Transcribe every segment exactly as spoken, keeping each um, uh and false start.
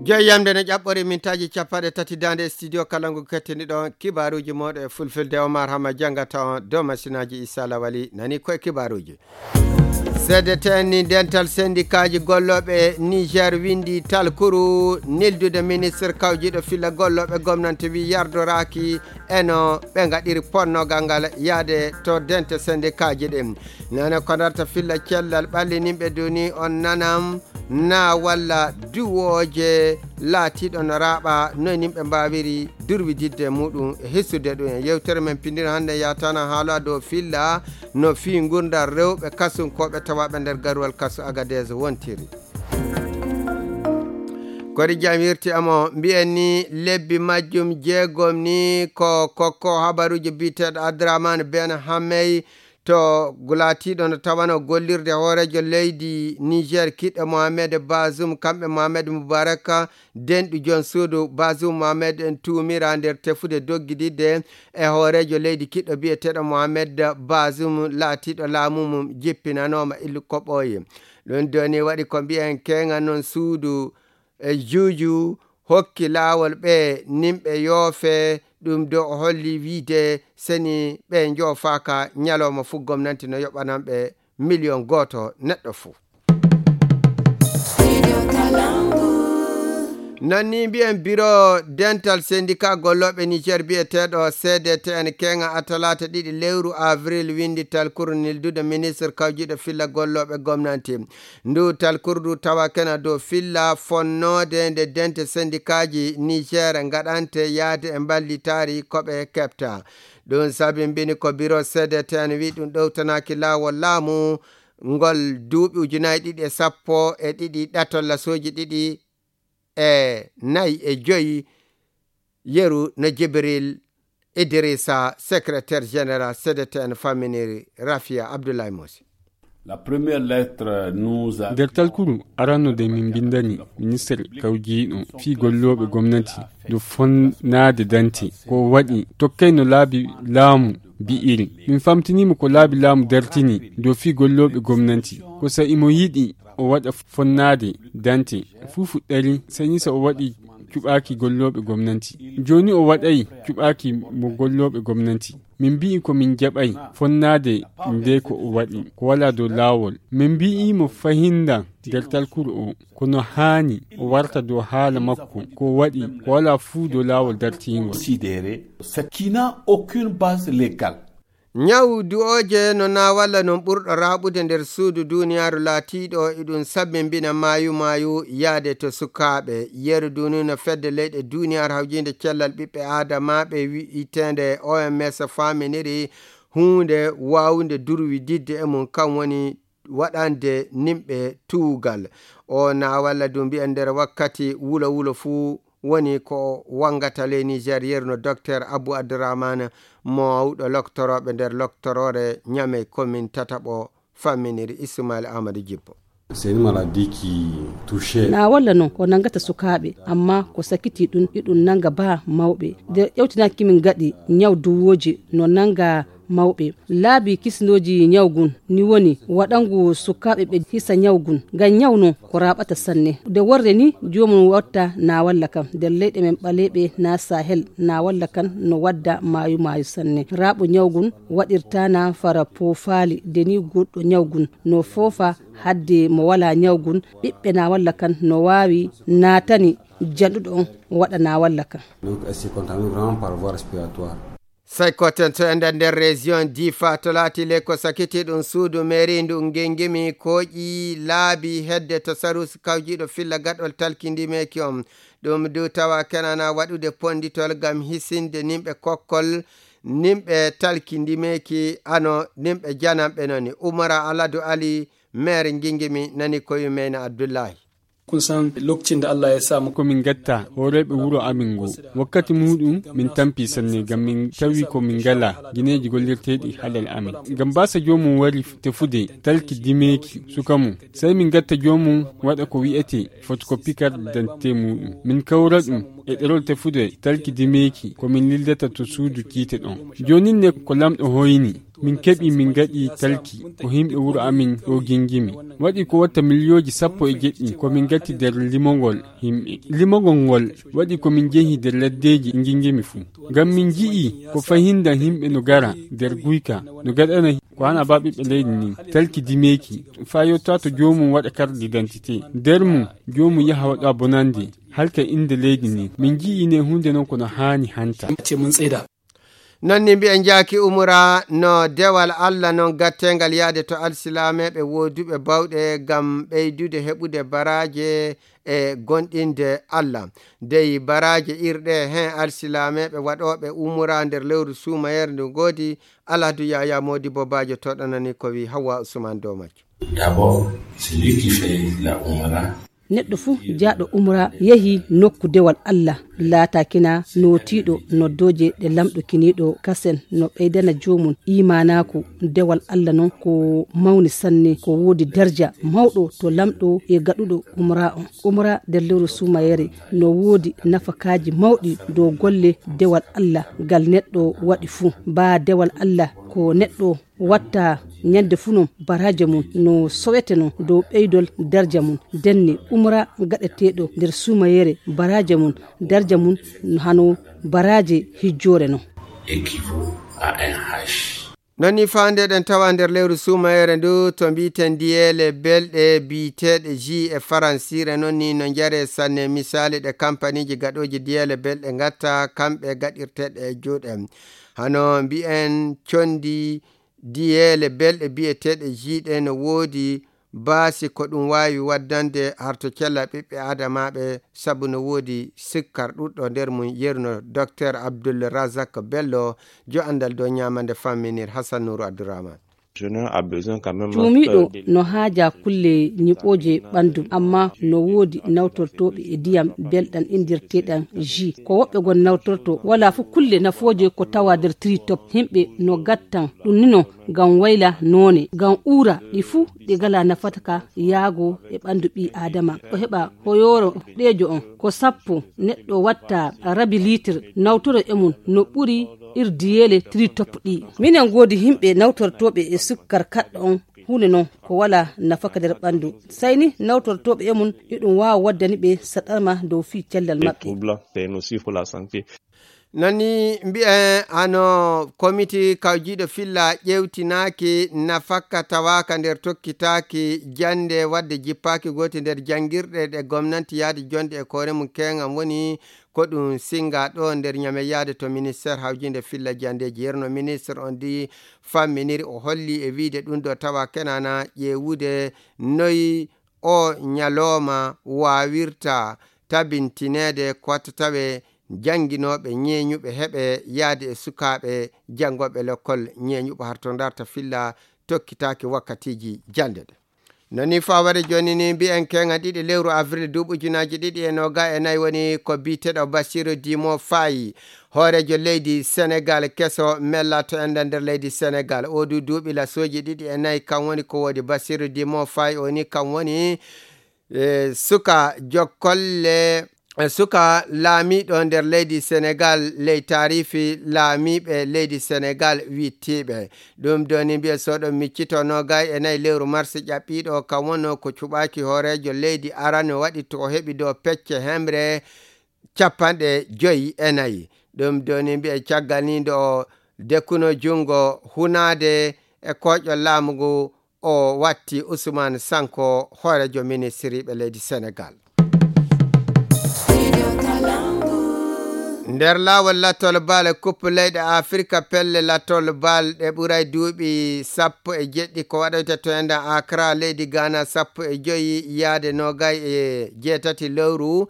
Jeeyamde no ƴaɓɓori mintaaji capanɗe tati daande e studio kala ngu kettiniɗon kibaaruuji mooɗon e fulfilde. Omar Hama janngata on dow masinaaji Issa Lawali nani koye kibaaruuji. C D T N ni dental sendikaaji gollooɓe Niger winndi talkuru neldude ministre kawjiiɗo filla gollooɓe gomnante wi yardoraaki eno ɓe ngaɗiri ponnogal ngal yaade to dente sendikaaji ɗin. Nane ko ndarta filla cellal ɓallininɓe duni on nanam na walla duwooje laatiiɗo no raaɓa noy nimɓe mbaawiri durwididde muɗum e hissude ɗum en. Yewtere men pindino hannde yatana haala dow filla no fii ngurdal rewɓe kasunkooɓe tawaaɓe nder garuwal kasu Agadez wontiri. Kori jam wirti amo mbiyen ni lebbi majjum jeegom ni ko kokko habaruuji biyeteeɗo Abdourahmane Ben Hamey to gulatiiɗo no tawano gollirde hooreejo leydi Niger kiɗɗo Mohamed Bazoum, kamɓe Mohamed Mubarak, denɗu jon suudu Bazoum Mohamed en tuumira nder tefude doggididde e hooreejo leydi kiɗɗo biyeteeɗo Mohamed Bazoum laatiiɗo laamu mum jippinanooma illu ko ɓooyi. Ɗum doni waɗi ko mbiyen keŋa noon suudu e juuju hokki laawol ɓe nimɓe yoofe ɗum do o holli wiide seni ɓe njoofaaka ñalooma fuu gomnanti no yoɓanan ɓe miliyon gooto neɗɗo fuu. Noon ni mbiyen biro dental sendika gollooɓe Niger biyeteeɗo C D T N keŋa a talaata ɗiɗi lewru avril winndi talkuru nildude ministre kawjiiɗo filla gollooɓe gomnanti. Ndu talkurdu tawa kena dow filla fonnoode nde dente sendikaaji Niger ngaɗante yaade e mballitaari ko ɓe keɓta. Ɗum sabimbini ko biro C D T N wi ɗum ɗowtanaaki laawol laamu ngol duuɓi ujunaaji ɗiɗi e sappo e ɗiɗi ɗatol lasooji ɗiɗi e nayi e joyi yeru no Jibril Idrissa, secrétaire général C D T N, faminiri Rafia Abdoulaye Mosi. La première lettre nous a Nder talkuru aranno de min mbindani ministre kawjiiɗo fii gollooɓe gomnati do fonnaade dante ko waɗi tokkay no laabi laamu bi'iri. Min famtiniima ko laabi laamu dartini do fii gollooɓe gomnati ko sa imo yiɗi o waɗa fonnaade dante fuu fuɗɗari sani sa o waɗi cuɓaaki gollooɓe gomnanti. Jooni o waɗay cuɓaaki mo gollooɓe gomnanti. Min mbi'i ko min jaɓay fonnaade nde ko o waɗi ko walaa dow laawol. Min mbi'i mo fahinda nder talkuru o kono haani o warta dow haala makko ko o waɗi ko walaa fuu dow laawol dartiingol. Considérer ce qui n'a aucune base légale. Ñaw du'ooje no naawalla non ɓurɗo raaɓude nder suudu duuniyaaru laatiiɗo iɗum sabbimbina maayu maayu yaade to sukaaɓe. Yeru duunino fedde leyɗe duuniyaaru hawjiinde cellal ɓiɓɓe aadamaaɓe wi'iteende O M S faaminiri huunde waawunde durwididde e mum kan woni waɗande nimɓe tuugal. O naawalla du mbiyen nder wakkati wulo wulo fuu woni ko wangata ley Niger yeru no Docteur Abou Abdourahmane mawɗo loktorooɓe nder loktoroore Ñamey komin tataɓo famminiri Ismail Amadou Jibbo. C'est une maladie qui touche. Na walla non ko nangata sukaaɓe amma ko sakiti ɗum iɗum nanga ba mawɓe nde ƴewtinaaki min gaɗi ñaw duwooji no nanga mawɓe laabi kisnooji ñaw gun ni woni waɗangu sukaaɓe ɓe hisa ñaw gun ngam ñaw non ko raaɓata sanne nde worre ni joomum watta na walla kam nder leyɗe men ɓaleeɓe na sahel na walla kan no wadda maayu maayu sanne raaɓo ñaw gun waɗirta na fara poofaali nde ni goɗɗo ñaw gun no foofa hadde mo wala ñaw gun ɓiɓɓe na walla kan no waawi naatani janɗuɗo on waɗa na walla kan. Donc elle se contamine vraiment par voie respiratoire. Sai koten to ender nder région Difa to laati le ko sakiti ɗum suudu mairie ndu ngengimi koƴi laabi hedde to sarusi kawjiɗo filla gaɗol talkindimeki on. Ɗum du tawa kenana waɗude ponditol ngam hisinde nimɓe kokkol nimɓe talkindimeki ano nimɓe jananɓe noni. Umara Aladu Ali, maire ngingimi, nani ko yumeyna Abdullahi. Kun san lokacin da Allah ya sa mu ko min gatta horeɓe wuro amin ngo wakkati muɗum min tampi sanne ngam min tawi ko min ngala gineji gollirteɗi halal amin ngam basa jomum wari tefude talki dimeki suka mum sai min gatta jomum waɗa ko wi'ete photocopie carte d'identité muɗum min kawra ɗum e ɗerol tefude talki dimeki ko min lildata to suudu kiite ɗon. Jonin ne ko lamɗo hoyni Min keɓi, min ngaɗi talki ko yimɓe wuro amin ɗo Gingimi. Waɗi ko watta miliyooji sappo e jeɗɗi ko min ngatti nder limongol yimɓe. Limongol ngol waɗi ko min jehi nder laddeeji Gingimi fuu. Ngam min nji'i ko fahinda yimɓe no gara nder guyka, no gaɗana ko hana ba ɓiɓɓe leydi ndin. Talki dimeeki, faa yotta to joomum waɗa carte d'identité. Nder mum, joomum yaha waɗa bonande, halka innde leydi ndin. Min nji'i ne huunde non ko no haani hanta. Non ni mbi'en njaaki umra no dewal Allah non gatteengal yaade to alsilameeɓe wooduɓe bawɗe ngam ɓeydude heɓude baraaje e gonɗinde Allah. Dey baraaje irɗe heen alsilameeɓe waɗooɓe umra nder lewru suumayere ndu ngoodi. Alhadu Yaya Moodi Bobaajo toɗanani ko wi Hawwa Usman dow majjo. D'abord, celui qui fait la umra. Neɗɗo fuu jaaɗo umra yehi nokku dewal Allah, laatakina nootiiɗo noddooje ɗe lamɗo kiniiɗo kasen no ɓeydana joomum iimaanaaku. Dewal Allah non ko mawni sanne, ko woodi darja mawɗo to lamɗo e gaɗuɗo umra on. Umra nder lewru suumayere no woodi nafakaaji mawɗi dow golle dewal Allah ngal neɗɗo waɗi fuu. Baa dewal Allah ko neɗɗo watta ñande fuu non baraaje mum no sowete non dow ɓeydol darja mum. Ndenne umra gaɗeteeɗo nder suumayere, baraaje mum, darja mum no hano baraaje hijjoore non. Équivaut à un hajj. Non ni faandeɗen tawa nder lewru suumayere ndu to mbiiten diyeele belɗe biyeteeɗe ji e faransiire, non ni no njare sanne misaali ɗe kampaniiji gaɗooji diyeele belɗe ngatta kamɓe gaɗirteeɗe e juuɗe. Hano mbi'en condi diyeele belɗe biyeteeɗe ji ɗe no woodi baasi ko ɗum waawi waddande harto cella ɓiɓɓe aadamaaɓe, sabu no woodi sikkar ɗuɗɗo nder mum, yerno Docteur Abdul Razak Bello, jo anndal dow ñaamande famminir Hassan Nourou Abdourahmane. Cuumiiɗo no haaja kulle ñiɓooje ɓanndu, amma no woodi nawtortooɓe e ndiyam belɗam inndirteeɗam ji. Ko woɓɓe gon nawtorto, wala fof kulle nafooje ko tawa nder tritop. Yimɓe no gattan ɗum nino ngam wayla noone, ngam uura, ɗi fuu ɗi ngala nafata ka yaago e ɓanndu ɓii Aadama. O heɓa hoyooro ɗeejo on ko sappo, neɗɗo watta rabi liitir, nawtoro e mum no ɓuri ir diyeele tritop ɗi. Minen ngoodi yimɓe nawtortooɓe e sukkar kaɗɗo on, huunde non ko wala nafaka nder ɓanndu. Sey ni nawtortooɓe e mum, iɗum waawa waddani ɓe saɗarma dow fii cellal maɓɓe. Non ni mbi'en hano komiti kawjiiɗo filla ƴeewtinaaki nafaka tawaaka nder tokkitaaki jannde, wadde jippaaki goote nder janngirɗe ɗe gomnanti yaade jonde e koore mum keeŋam woni ko ɗum singa ɗo nder ñame yaade to ministeer hawjiinde filla janndeeji. Yerno ministre on di famminiri, o holli e wiide ɗum ɗo tawa kenana ƴeewude noy o ñalooma waawirta tabintineede ko watta tawe jannginooɓe ñeeñuɓe heɓe yaade e sukaaɓe janngooɓe lekkol ñeeñuɓe harto ndarta filla tokkitaaki wakkatiiji jannde ɗe. Non ni fawade jooni ni mbi'en keeŋa ɗiɗi lewru avril duuɓi ujunaaji ɗiɗi e nooga e nayi woni ko biyeteeɗo Bassirou Diomaye Faye, hooreejo leydi Senegal keso mella to enda nder leydi Senegal. O du duuɓi lasooji ɗiɗi e nayi kam woni ko woodi Bassirou Diomaye Faye o ni kam woni, e, suka jokkolle, e, suka laamiiɗo nder leydi Senegal ley taarifi laamiiɓe leydi Senegal wittiiɓe. Ɗum doni mbiya soɗo miccito noogay e nayi lewru mars ƴaɓɓiiɗo kam wonno ko cuɓaaki hooreejo leydi arano waɗi to o heɓi dow pecce hemre capanɗe joyi e nayi. Ɗum doni mbiya caggal ni nde o dekkuno junngo hunaade e kooƴol laamu ngu, o watti Ousmane Sanko hooreejo ministiriiɓe leydi Senegal. Nder laawol lattol bal kuppe leyɗe Afirka, pelle lattol bal ɗe ɓuray duuɓi sappo e jeɗɗi ko waɗoyta to enɗan Accra leydi Ghana, sappo e joyi yaade noogay e jeetati lewru.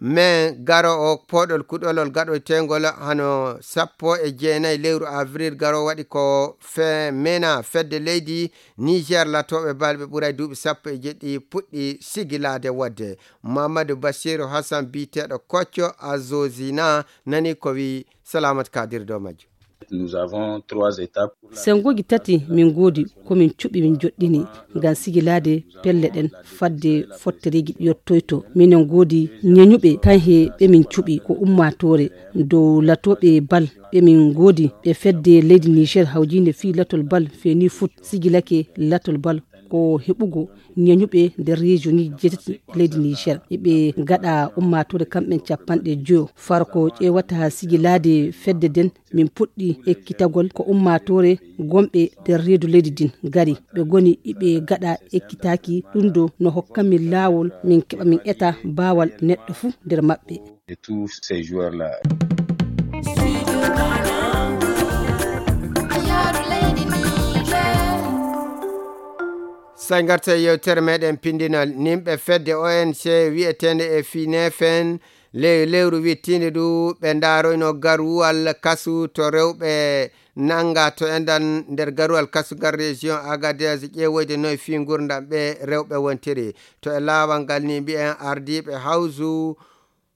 Men garo o poɗol kuɗolol gaɗoytengol hano sappo e jeenayi lewru avril garo waɗi ko fe mena fedde leydi Niger latooɓe balɓe ɓuray duuɓi sappo e jeɗɗi puɗɗi sigilaade wodde. Mamadou Bassirou Hassan biyeteeɗo Kocco Azozina nani ko wi Salamat Kadir dow majjo. Nous avons trois étapes. Sengooji tati min ngoodi ko min cuɓi min joɗɗini ngam sigilaade pelle ɗen fadde fottereeji yottoyto. Minen ngoodi ñeñuɓe kan he ɓe min cuɓi ko ummaatoore dow latooɓe bal ɓe min ngoodi ɓe fedde leydi Niger hawjiinde fii latol bal feni foot sigilake latol bal ko heɓugo ñeñuɓe nder région ŋi jeetati leydi Niger. Eɓe gaɗa ummaatoore kamɓen capanɗe joyo. Far ko ƴeewata sigilaade fedde den min puɗɗi ekkitagol ko ummaatoore gonɓe nder reedu leydi din gari. Ɓe goni iɓe gaɗa ekkitaaki ɗum ɗo no hokka min laawol min keɓa min eta baawal neɗɗo fuu nder maɓɓe. De tous ces joueurs-là. Sey ngarta e yewtere meɗen pindinal. Nimɓe fedde O N G wi'eteende e Finefen ley lewru wittiinde ndu ɓe ndaaroyno garuwal kasu to rewɓe nannga to enɗan nder garuwal kasu ngal région Agadez ƴeewoyde no e fii ngurndam ɓe rewɓe wontiri. To e laawal ngal ni mbi'en ardiiɓe hawsu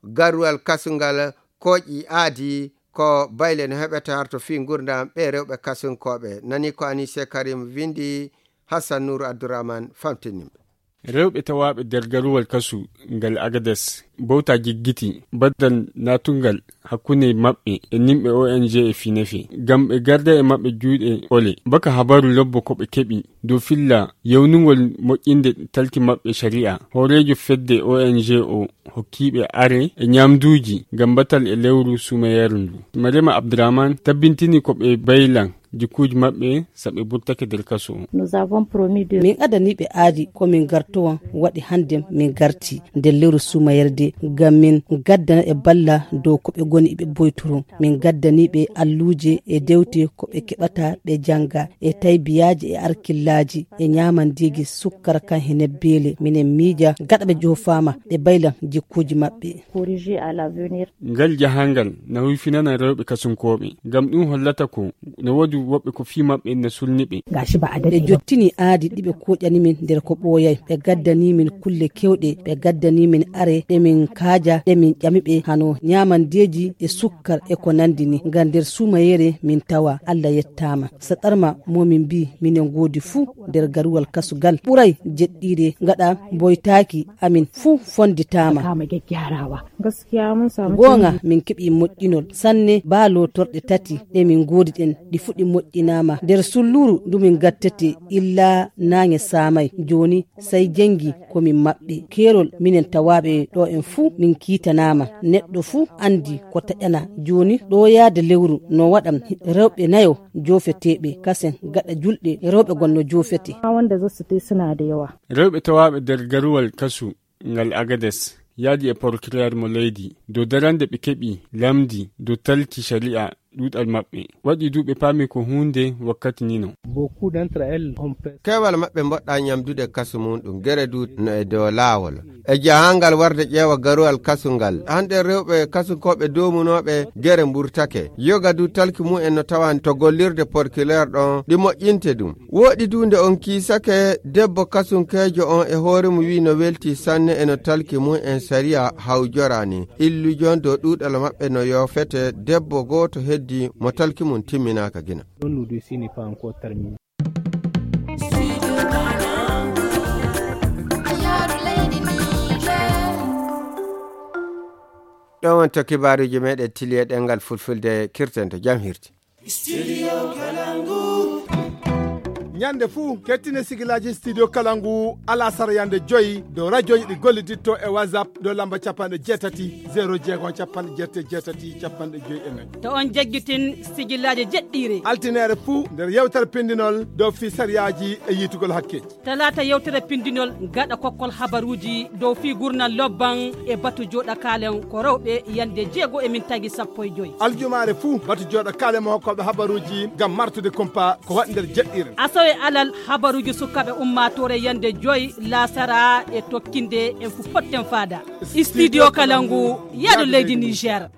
garuwal kasu ngal kooƴi aadi ko bayle no heɓete harto fii ngurndam ɓe rewɓe kasunkooɓe. Nani ko Anise Karim windi, Hassan Nour Abdourahmane famtinimɓe. Rewɓe tawaaɓe nder garuwal kasu ngal Agades bowta jiggiti baddal natungal hakkunde maɓɓe e nimɓe O N G e Finefe ngam ɓe garda e maɓɓe juuɗe ole. Baka habaru lobbo ko ɓe keɓi dow filla yawnugol moƴƴinde talki maɓɓe shari'a. Hooreejo fedde O N G o hokkiiɓe are e ñamduuji ngam batal e lewru suumayeeru ndu. Marema Abdourahmane tabbintini ko ɓe baylan jikkuuji maɓɓe saɓe burtake nder kaso o. Nous avons promis de Min adaniiɓe aadi ko min gartowan waɗi hannde min garti nder lewru suumayerde ngam min gaddana e balla dow ko ɓe goni ɓe boytoro. Min gaddaniiɓe alluuje e dewte ko ɓe keɓata ɓe jannga e taybiyaaji e arkillaaji e ñaamandeeji sukkara kan he nebbeele. Minen miija gaɗa ɓe joofaama ɓe baylan jikkuuji maɓɓe. Corriger à l'avenir. Ngal jahangal na huyfinana rewɓe kasunkooɓe ngam ɗum hollata ko no woodi woɓɓe ko fii maɓɓe na sulni ɓe. Gashi ba a daɗe. Ɓe jottini aadi ɗi ɓe kooƴani min nder ko ɓooyay. Ɓe gaddani min kulle kewɗe, ɓe gaddani min are ɗe min kaaja ɗe min ƴami ɓe hano ñaamandeeji e sukkar e ko nanndi ni. Ngam nder suumayeere min tawa Allah yettaama. Saɗarma mo min mbii minen ngoodi fuu nder garuwal kasugal ɓuray jeɗɗiire gaɗa boytaaki amin fuu fonnditaama. Kama gyaggyarawa. Gaskiya mun samu Goonga canji. Min keɓi moƴƴinol sanne baa lootorɗe tati ɗe min ngoodi ɗen ɗi fuɗi moƴƴinaama. Nder sulluuru ndu min gattete illa naange saamay. Jooni sey jenngi ko min maɓɓe. Keerol minen tawaaɓe ɗo en fuu min kiitanaama. Neɗɗo fuu anndi ko taƴana. Jooni ɗo yaade lewru no waɗam rewɓe nayo joofeteeɓe kasen gaɗa julɗe rewɓe gonno joofete. Ma wanda zasu tai suna da yawa. Rewɓe tawaaɓe nder garuwal kasu ngal Agades yaadi e procureur mo leydi dow darande ɓe keɓi lamndi dow talki shari'a ɗuuɗal maɓɓe. Waɗi du ɓe paami ko huunde wakkati nino. Beaucoup d'entre elles ont fait Keewal maɓɓe mboɗɗa ñamdude kasu mum ɗum gere du no e dow laawol. E jahangal warde ƴeewa garuwal kasu ngal. Hande rewɓe kasunkooɓe doomunooɓe gere mburtake. Yoga du talki mum en no tawani to gollirde porkileer ɗon ɗi moƴƴinte ɗum. Wooɗi du nde on kiisake debbo kasunkeejo on e hoore mum wi'i no welti sanne e no talki mum en sariya hawjorani. Illujon dow ɗuuɗal maɓɓe no yoofete debbo gooto heddi mo talki mum timminaaka gina. Don nous deux n'est pas encore terminé. Ɗon wonto kibaaruuji meɗen tiliye ɗengal fulfulde kirten to jam hirti. Studio Kalangu. Ñande fuu kettine sigilaaji Studio Kalangu alasara yande joyi dow rajoji ɗi golliditto e WhatsApp dow lamba capanɗe jeetati zéro jeego capanɗe jeetati jeetati capanɗe joyi e nayi. To on jaggitin sigilaaji jeɗɗiire. Altinere fuu nder yewtere pindinol dow fii sariyaaji e yiitugol hakke. Talaata yewtere pindinol gaɗa kokkol habaruuji dow fii gurnal lobban e batu jooɗa kaalen ko rewɓe yande jeego e min tagi sappo e joyi. Aljumaare fuu batu jooɗa kaalen mo hokkooɓe habaruuji ngam martude kumpa ko waɗi nder jeɗɗiire. Asawe alal habaruuji sukaaɓe ummaatoore yande joyi laasara e tokkinde en fu potten faada. Studio Kalangu, yaadu leydi Niger.